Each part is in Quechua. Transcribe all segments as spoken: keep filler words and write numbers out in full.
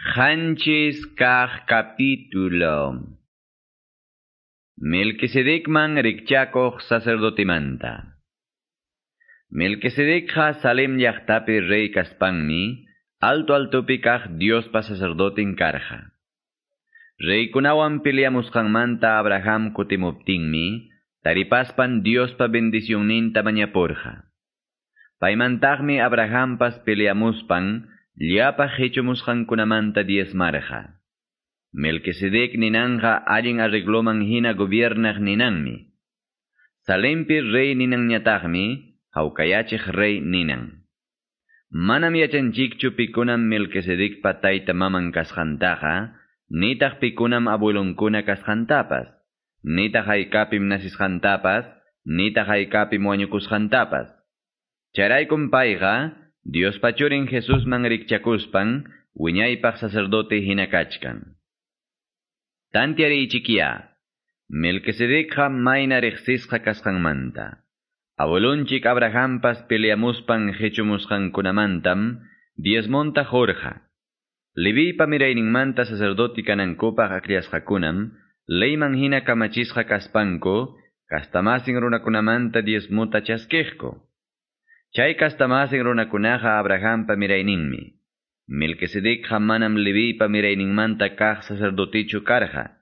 Qanchis kaq capítulo. Melquisedecman rikchakuq sacerdotemanta. Melquisedecqa Salem llaqtapi rey kaspanmi, alto altopi kaq Diospa sacerdotin karqa. Reykunawan peleamusqanmanta Abraham kutimuptinmi, taripaspan Diospa bendicionninta mañapurqa. Paymantaqmi Abrahampas peleamuspan, llapa qichumusqankunamanta diezmarqa. Melquisedec ninanja allin arregloman hina gobiernaq ninanmi. Salempi rey ninanñataqmi, hawkayachiq rey ninan. Manam yachanchikchu pikunam Melquisedecpa tayta maman kasqantaqa, nitaq pikunam abuelonkuna kasqantapas, nitaq haykapim nasisqantapas, nitaq haykapim wañukusqantapas. Chayraykum payqa, Diospa churin Jesusman rikchakuspan, wiñaypaq sacerdote hina kachkan. Tantiariychikyá, Melquisedecqa mayna riqsisqa kasqanmanta. Abuelonchik Abrahampas peleamuspan qichumusqankunamantam diezmonta qurqa. Leviypa mirayninmanta sacerdote kanankupaq akllasqakunam, leyman hina kamachisqa kaspanku, kastamasin runakunamanta diezmota chaskiqku. Chay kastamasin runakunaqa Abrahampa mirayninmi. Melquisedecqa manam Leviypa mirayninmanta kaq sacerdotichu karqa.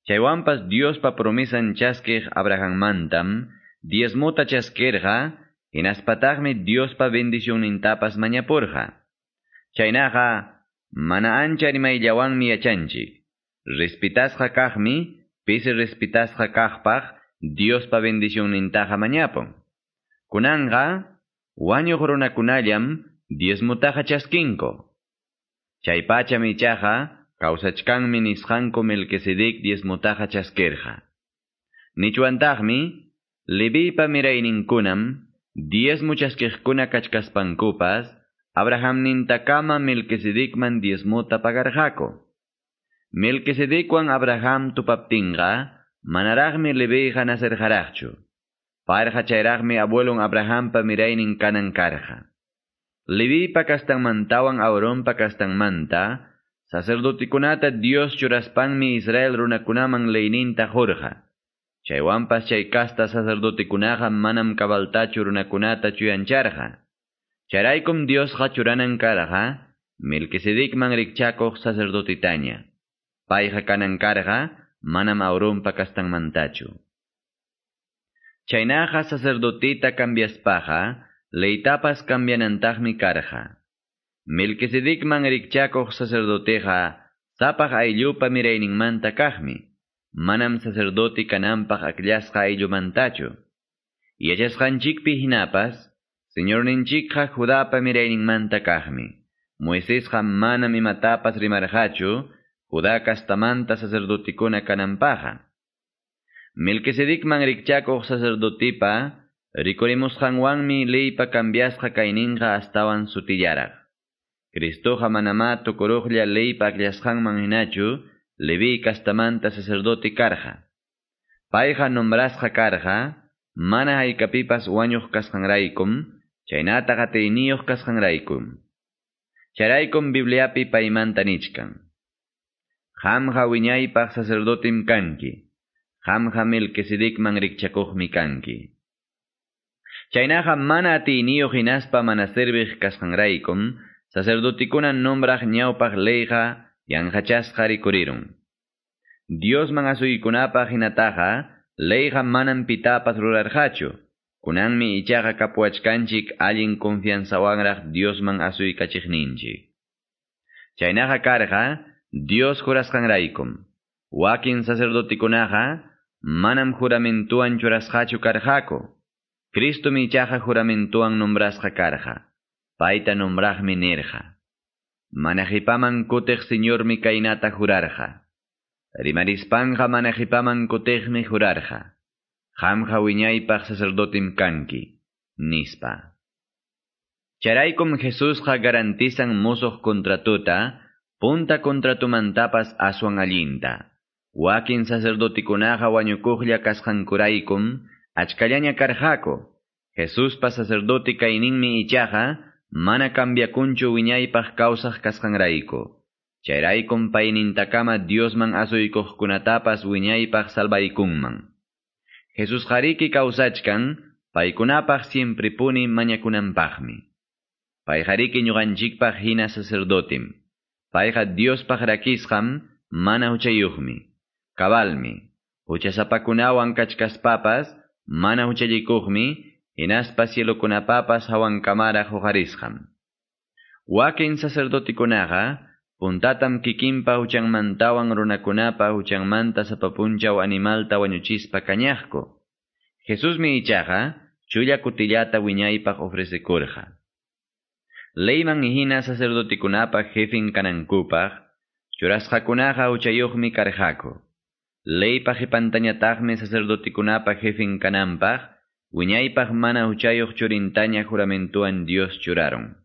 Chaywanpas Diospa promesan chaskiq Abrahammantam diezmota chaskirqa, hinaspataqmi Diospa bendicionnintapas mañapurqa. Chaynaqa mana ancha rimayllawanmi yachanchik. Respitasqa kaqmi, pisi respitasqa kaqpaq Diospa bendicionnintaqa mañapun. Kunanqa wañuq runakunallam diezmotaqa chaskinku. Chaypacham ichaqa kawsachkanmi nisqanku Melquisedec diezmotaqa chaskirqa. Nichwantaqmi Leviypa mirayninkunam diezmo chaskiqkuna kachkaspankupas Abrahamnintakama Melquisedecman diezmota pagarqaku. Melquisedecwan Abraham tupaptinqa manaraqmi Leviyqa nacerqaraqchu. Payqa chayraqmi abuelon Abrahampa miraynin kanan karqa. Leviypa kastanmantawan Aaronpa kastanmanta, sacerdotikunata Dios churaspanmi Israel runakunaman leyninta qurqa. Chaywanpas chay kasta sacerdotikunaqa manam kabaltachu runakunata chuyancharqa. Chayraykum Diosqa churanan karqa, Melquisedecman rikchakuq sacerdotitaña. Payqa kanan karqa, manam Aaronpa kastanmantachu. Chaynaqa sacerdotita cambiaspaqa, leytapas cambianantaqmi karqa. Melquisedecman rikchakuq sacerdoteqa sapaq ayllupa mirayninmanta kaqmi, manam sacerdote kananpaq akllasqa ayllumantachu. Yachasqanchikpi hinapas, Señorninchikqa Judapa mirayninmanta kaqmi. Moisesqa manam imatapas rimarqachu, Judá kastamanta sacerdotikuna kananpaqa. Melquisedecman rikchakuq sacerdotipa, rikurimusqanwanmi leypa cambiasqa kayninqa astawan sutillaraq. Cristoqa manamá tukuruqlla leypa akllasqanman hinachu, Leví kastamanta sacerdote karqa. Payqa nombrasqa karqa, mana haykapipas wañuq kasqanraykum, chaynataq atiyniyuq kasqanraykum. Chayraykum Bibliapi paymanta nichkan. Qamqa wiñaypaq sacerdotem kanki. Qamqa Melquisedecman rikchakuqmi kanki. Chaynaqa mana atiyniyuq hinaspa mana serviq kasqanraykum, sacerdotikuna nombraq ñawpaq leyqa yanqachasqa rikurirun. Diosman asuykunapaq hinataqa, leyqa manam pitapas rurarqachu. Kunanmi ichaqa kapuwachkanchik allin confianzawanraq Diosman asuykachiqninchik. Chaynaqa karqa, Dios jurasqanraykum. Wakin sacerdotikunaqa manam juramentuwan churasqachu karqaku. Cristomi ichaqa juramentuwan nombrasqa karqa. Payta nombraqmi nirqa. Mana qipaman kutiq Señormi kaynata jurarqa. Rimarispanqa mana qipaman kutiqmi jurarqa. Qamqa wiñaypaq sacerdotem kanki, nispa. Chayraykum Jesusqa garantizan musuq contratuta, punta contratumantapas aswan allinta. Wakin sacerdotikunaqa wañukuqlla kasqankuraykum, achkallaña karqaku. Jesuspa sacerdote kayninmi ichaqa, mana cambiakunchu wiñaypaq kawsaq kasqanrayku. Chayraykum paynintakama Diosman asuykuqkunatapas wiñaypaq salvaykunman. Jesusqariki kawsachkan paykunapaq siemprepuni mañakunanpaqmi. Payqariki ñuqanchikpaq hina sacerdotem. Payqa Diospaq rakisqam mana huchayuqmi. Cabalmi. Huchasapakunawan kachkaspapas mana huchallikuqmi hinaspa cielokunapapas hawankamaraq huqarisqam. Wakin sacerdotikunaqa puntatam kikinpa huchanmantawan runakunapa huchanmanta sapa punchaw animalta wañuchispa kañaqku. Jesusmi ichaqa chulla kutillata wiñaypaq ofrecekurqa. Leyman hina sacerdotikunapa jefin kanankupaq, churasqakunaqa huchayuqmi karqaku. Leypa qipantañataqmi sacerdotikunapa jefin kananpaq, wiñaypaq mana huchayuq churintaña juramentuwan Dios churarun.